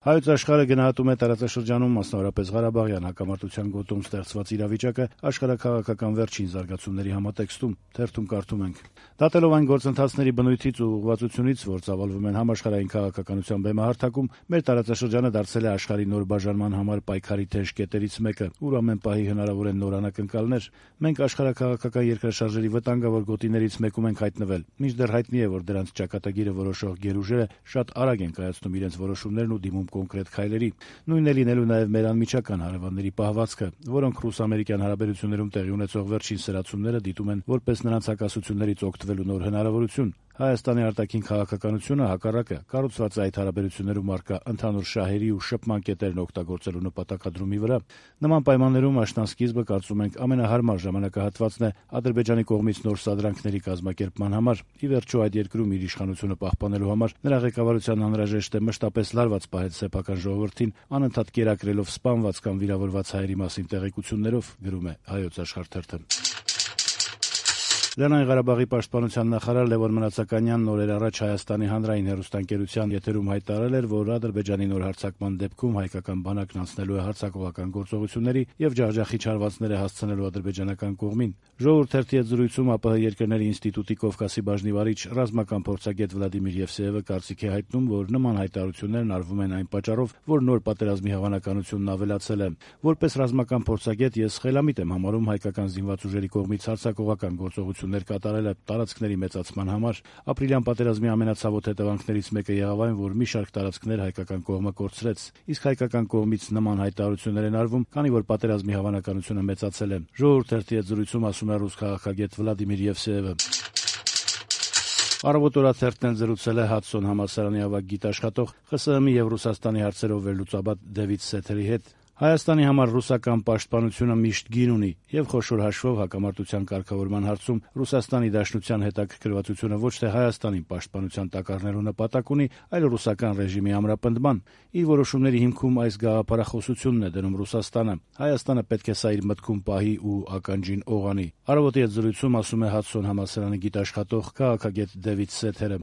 Հայոց աշխարհը գնահատում է տարածաշրջանում, մասնավորապես Ղարաբաղյան հակամարտության գոտում ստեղծված իրավիճակը աշխարհաքաղաքական վերջին զարգացումների համատեքստում։ Թերթում կարդում ենք. «Դատելով այն գործընթացների բնույթից ու ուղղվածությունից, որ ծավալվում են համաշխարհային քաղաքականության բեմահարթակում, մեր տարածաշրջանը դարձել է աշխարհի նոր բաժանման համար պայքարի թեժ կետերից մեկը, ուր ամեն պահի հնարավոր են նոր անակնկալներ։ Մենք աշխարհաքաղաքական երկրաշարժերի վտանգավոր գոտիներից մեկում ենք հայտնվել, մինչդեռ հայտնի է, որ դրանց ճակատագիրը որոշող գերուժերը շատ արագ են կայացնում իրենց որոշումներն ու դիմում կոնկրետ քայլերի։ Նույնն է լինելու նաև մեր անմիջական հարևանների պահվածքը, որոնք ռուս-ամերիկյան հարաբերություններում տեղի ունեցող վերջին սրացումները դիտում են որպես նրանց հակասություններից օգտվելու նոր հնարավորություն։ Հայաստանի արտաքին քաղաքականությունը, հակառակը, կառուցված է այդ հարաբերություններում առկա ընդհանուր շահերի ու շփման կետերն օգտագործելու նպատակադրումի վրա։ Նման պայմաններում աշնանսկիզբը, կարծում ենք, ամենահարմար ժամանակահատվածն է Ադրբեջանի կողմից նոր սադրանքների կազմակերպման համար։ Ի վերջո, այդ երկրում իր իշխանությունը պահպանելու համար նրա ղեկավարությանն անհրաժեշտ է մշտապես լարված պահել սեփական ժողովրդին, անընդհատ կերակրելով սպանված կամ վիրավորված հայերի մասին տեղեկություններով», գրում է Հայոց աշխարհ թերթը։ Լեռնային Ղարաբաղի պաշտպանության նախարար Լևոն Մնացականյանն օրեր առաջ Հայաստանի հանրային հեռուստաընկերության եթերում հայտարարել էր, որ Ադրբեջանի նոր հարձակման դեպքում հայկական բանակն անցնելու է հարձակողական գործողությունների եւ ջախջախիչ հարվածներ է հասցնելու ադրբեջանական կողմին։ «Ժողովուրդ» թերթի հետ զրույցում ԱՊՀ երկրների ինստիտուտի Կովկասի բաժնի վարիչ ռազմական փորձագետ Վլադիմիր Եվսեևը կարծիք է հայտնում, որ նման հայտարարություններն արվում են այն պատճառով, որ նոր պատերազմի հավանականությունն ավելացել է։ Որպես ռազմական փորձագետ ես խելամիտ եմ համարում հայկական զինված ուժերի կողմից հարձակողական գործողություններ կատարելը տարածքների մեծացման համար։ Ապրիլյան պատերազմի ամենացավոտ հետևանքներից մեկը եղավ այն, որ մի շարք տարածքներ հայկական կողմը կորցրեց։ Իսկ հայկական կողմից նման հայտարարություններ են արվում, քանի որ պատերազմի հավանականությունը մեծացել է։ «Ժողովուրդ» թերթի հետ զրույցում ասում է ռուս քաղաքագետ Վլադիմիր Եվսեևը։ «Առավոտ» օրաթերթն էլ զրուցել է Հադսոն համալսարանի ավագ գիտաշխատող, ԽՍՀՄ-ի եւ Ռուսաստանի հարցերով վերլուծաբան Դեվիդ Սեթերի հետ։ Հայաստանի համար ռուսական պաշտպանությունը միշտ գին ունի եւ խոշոր հաշվով հակամարտության կարգավորման հարցում Ռուսաստանի Դաշնության հետաքրքրվածությունը ոչ թե Հայաստանի պաշտպանության տակառնելու նպատակ ունի, այլ ռուսական ռեժիմի ամրապնդման։ Իր որոշումների հիմքում այս գաղափարախոսությունն է դնում Ռուսաստանը։ Հայաստանը պետք է սա իր մտքում պահի ու ականջին օղանի։ «Առավոտ»-ի հետ զրույցում ասում է Հադսոն համալսարանի գիտաշխատող, քաղաքագետ Դեվիդ Սեթերը։